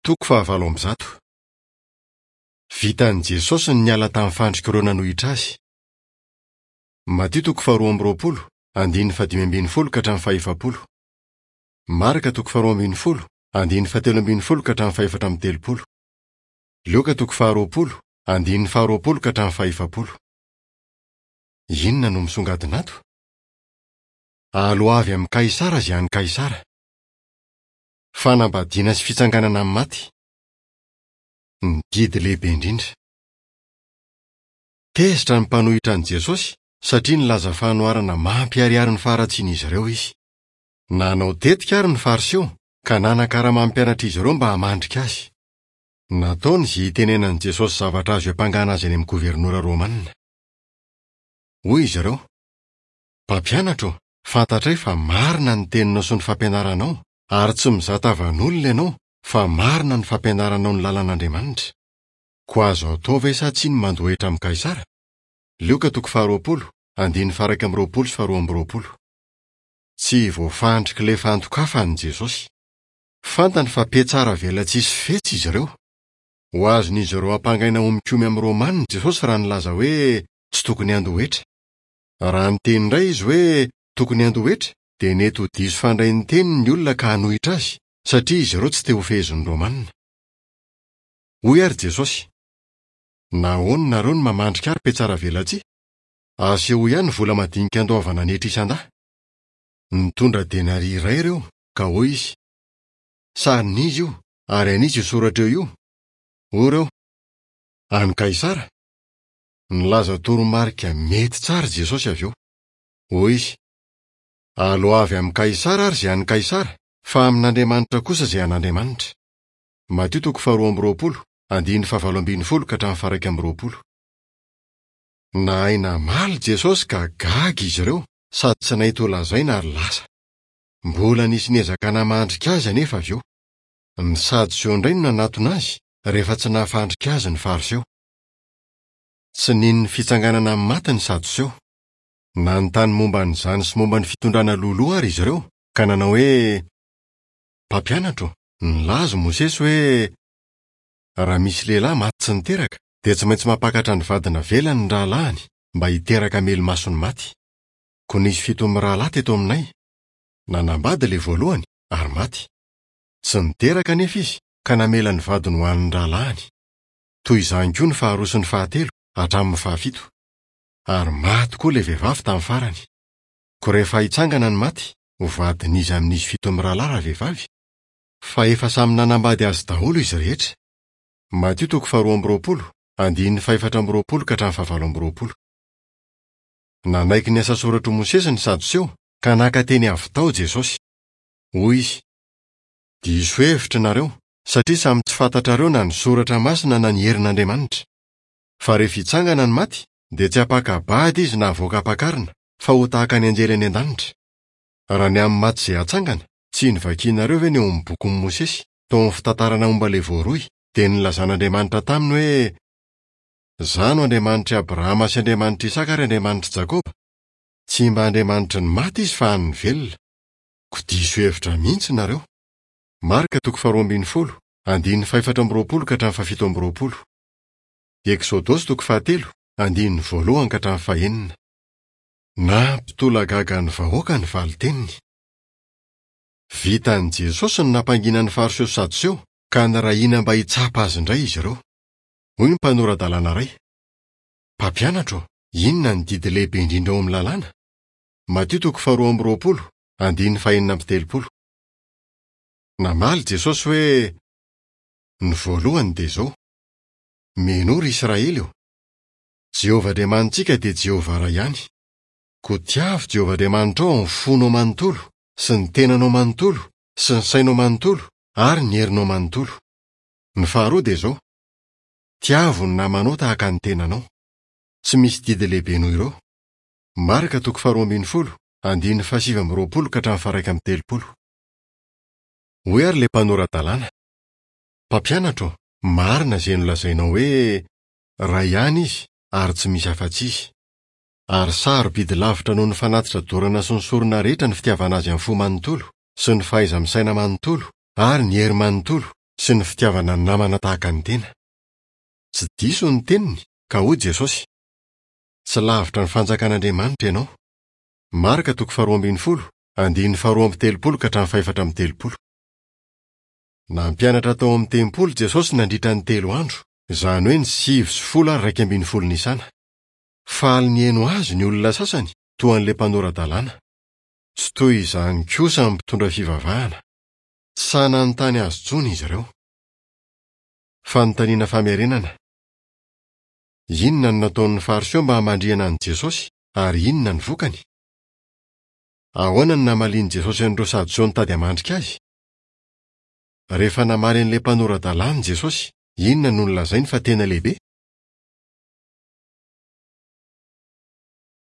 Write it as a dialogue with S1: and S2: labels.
S1: Toko fahavalo amby zato. Vitan'i Jesosy ny niala tamin'ny fandrik'ireo nanohitra azy. Matio toko faharoa amby roapolo, andininy fahadimy ambin'ny folo ka hatramin'ny fahefapolo. Marka toko faharoa ambin'ny folo, andininy fahatelo ambin'ny folo ka hatramin'ny fahefatra amby telopolo. Lioka toko faharoapolo, andininy faharoapolo ka hatramin'ny fahefapolo. Inona no misongadina ato? Aloavy amin'i Kaisara izay an'i Kaisara. Fanambadiana sy fitsanganana amin'ny maty. Ny didy lehibe indrindra. Tezitra ny mpanohitra an'i Jesosy satria nilaza fanoharana mampiharihary ny faharatsian'izy ireo izy. Nanao tetika àry ny Fariseo ka nanakarama ny mpianatr'izy ireo mba hamandrika azy. Nataony izay hitenenan'i Jesosy zavatra azo iampangana azy any amin'ny governora romanina. Hoy izy ireo, Mpampianatra ô, fantatray fa marina ny teninao sy ny fampianaranao, ary tsy mizaha tavan'olona ianao, fa marina ny fampianaranao ny lalan'Andriamanitra. Koa azo atao ve sa tsia ny mandoa hetra amin'i Kaisara? Lioka toko faharoapolo, andininy faha-21 sy faharoa amby roapolo. Tsy voafandrik'ilay fandokafany Jesosy. Fantany fa mpiatsara velatsihy sy fetsy izy ireo. Ho azon'izy ireo ampangaina ho mikomy amin'ny Romanina Jesosy raha nilaza hoe tsy tokony handoa hetra. Raha niteny indray izy hoe tokony handoa hetra, dia nety ho diso fandray ny teniny ny olona ka hanohitra azy, satria izy ireo tsy te hofehezin'ny Romanina. Hoy àry Jesosy, Nahoana nareo no mamandrika ahy ry mpihatsaravelatsihy? Asehoy ahy ny vola madinika andoavana ny hetra isan-dahy. Nitondra denaria iray ireo, ka hoy izy, Sarin'iza io, ary an'iza io soratra eo io? Hoy ireo, An'i Kaisara. Nilaza toromarika mety tsara i Jesosy avy eo. Hoy izy, Aloavy amin'i Kaisara ary izay an'i Kaisara, fa amin'Andriamanitra kosa izay an'Andriamanitra. Matio toko faharoa amby roapolo, andininy fahavalo ambin'ny folo ka hatramin'ny faha-21. Nahay namaly Jesosy ka gaga izy ireo sady tsy nahita ho lazaina ary lasa. Mbola nisy niezaka namandrika azy anefa avy eo. Ny Sadoseo indray no nanatona azy rehefa tsy nahafandrika azy ny Fariseo. Tsy nino ny fitsanganana amin'ny maty ny Sadoseo. Nanontany momba an'izany sy momba ny fitondrana loloha àry izy ireo, ka nanao hoe, Mpampianatra ô, nilaza i Mosesy hoe, 'Raha misy lehilahy maty tsy niteraka, dia tsy maintsy mampakatra ny vady navelany ny rahalahiny, mba hiteraka hamelo-maso ny maty. Koa nisy fito mirahalahy teto aminay. Nanambady ilay voalohany, ary maty. Tsy niteraka anefa izy, ka namela ny vadiny ho an'ny rahalahiny. Toy izany koa ny faharoa sy ny fahatelo, hatramin'ny fahafito. Ary maty koa ilay vehivavy tamin'ny farany. Koa rehefa hitsangana ny maty, ho vadin'iza amin'izy fito mirahalahy ravehivavy? Fa efa samy nanambady azy daholo izy rehetra. Matio toko faharoa amby roapolo, andininy fahefatra amby roapolo ka hatramin'ny fahavalo amby roapolo. Nanaiky ny asa soratr'i Mosesy ny Sadoseo, ka naka teny avy tao Jesosy. Hoy izy, Diso hevitra nareo, satria samy tsy fantatrareo na ny soratra masina na ny herin'Andriamanitra. Fa rehefa hitsangana ny maty, dia tsy hampaka-bady izy na havoaka hampakarina, fa ho tahaka ny anjely any an-danitra. Raha ny amin'ny maty izay hatsangana, tsy novakianareo ve ny ao amin'ny bokin'i Mosesy, tao amin'ny fitantarana momba ilay voaroy, dia nilazan'Andriamanitra taminy hoe, Izaho no Andriamanitr'i Abrahama sy Andriamanitr'i Isaka ary Andriamanitr'i Jakoba? Tsy mba Andriamanitry ny maty izy fa an'ny velona. Koa diso hevitra mihitsy nareo. Marka toko faharoa ambin'ny folo, andininy fahefatra amby roapolo ka hatramin'ny fahafito amby roapolo. Eksodosy toko fahatelo, andininy voalohany ka hatramin'ny fahenina. Nampitolagaga ny vahoaka ny valin-teniny. Vitan'i Jesosy ny nampangina ny Fariseo sy Sadoseo, ka nirahina mba hitsapa azy indray izy ireo. Hoy ny mpanora-dalàna iray, Mpampianatra ô, inona ny didy lehibe indrindra ao amin'ny Lalàna? Matio toko faharoa amby roapolo, andininy fahenina amby telopolo. Namaly Jesosy hoe, Ny voalohany dia izao, Minoa ry Israely ô! Jehovah Andriamanitsika dia Jehovah iray ihany. Koa tiavo Jehovah Andriamanitrao amin'ny fonao manontolo, sy ny tenanao manontolo, sy ny sainao manontolo, ary ny herinao manontolo. Ny faharoa dia izao, Tiavo ny namanao tahaka ny tenanao. Tsy misy didy lehibe noho ireo. Marka toko faharoa ambin'ny folo, andininy fahasivy amby roapolo ka hatramin'ny faha-31. Hoy àry ilay mpanora-dalàna, Mpampianatra ô, marina izay nolazainao hoe, 'Ray ihany Izy, ary tsy misy afa-tsy Izy. Ary sarobidy lavitra noho ny fanatitra dorana sy ny sorona rehetra ny fitiavana Azy amin'ny fo manontolo, sy ny fahaiza-misaina manontolo, ary ny hery manontolo, sy ny fitiavana ny namana tahaka ny tena. Tsy diso ny teniny, ka hoy Jesosy, Tsy lavitra ny fanjakan'Andriamanitra ianao. Marka toko faharoa ambin'ny folo, andininy faharoa amby telopolo ka hatramin'ny fahaefatra amby telopolo. Nampianatra tao amin'ny tempoly Jesosy nandritra ny 3 andro, izany hoe ny 9 sy 10 ary 11 Nisana. Faly nihaino azy ny olona sasany, toa an'ilay mpanora-dalàna. Tsy toy izany kosa ny mpitondra fivavahana. Tsy sahy nanontany azy intsony izy ireo. Fanontaniana famerenana. Inona no nataon'ny Fariseo mba hamandrihana an'i Jesosy, ary inona ny vokany? Ahoana no namalian'i Jesosy an'ireo Sadoseo nitady hamandrika azy? Rehefa namaly an'ilay mpanora-dalàna i Jesosy, inona no nolazainy fa tena lehibe?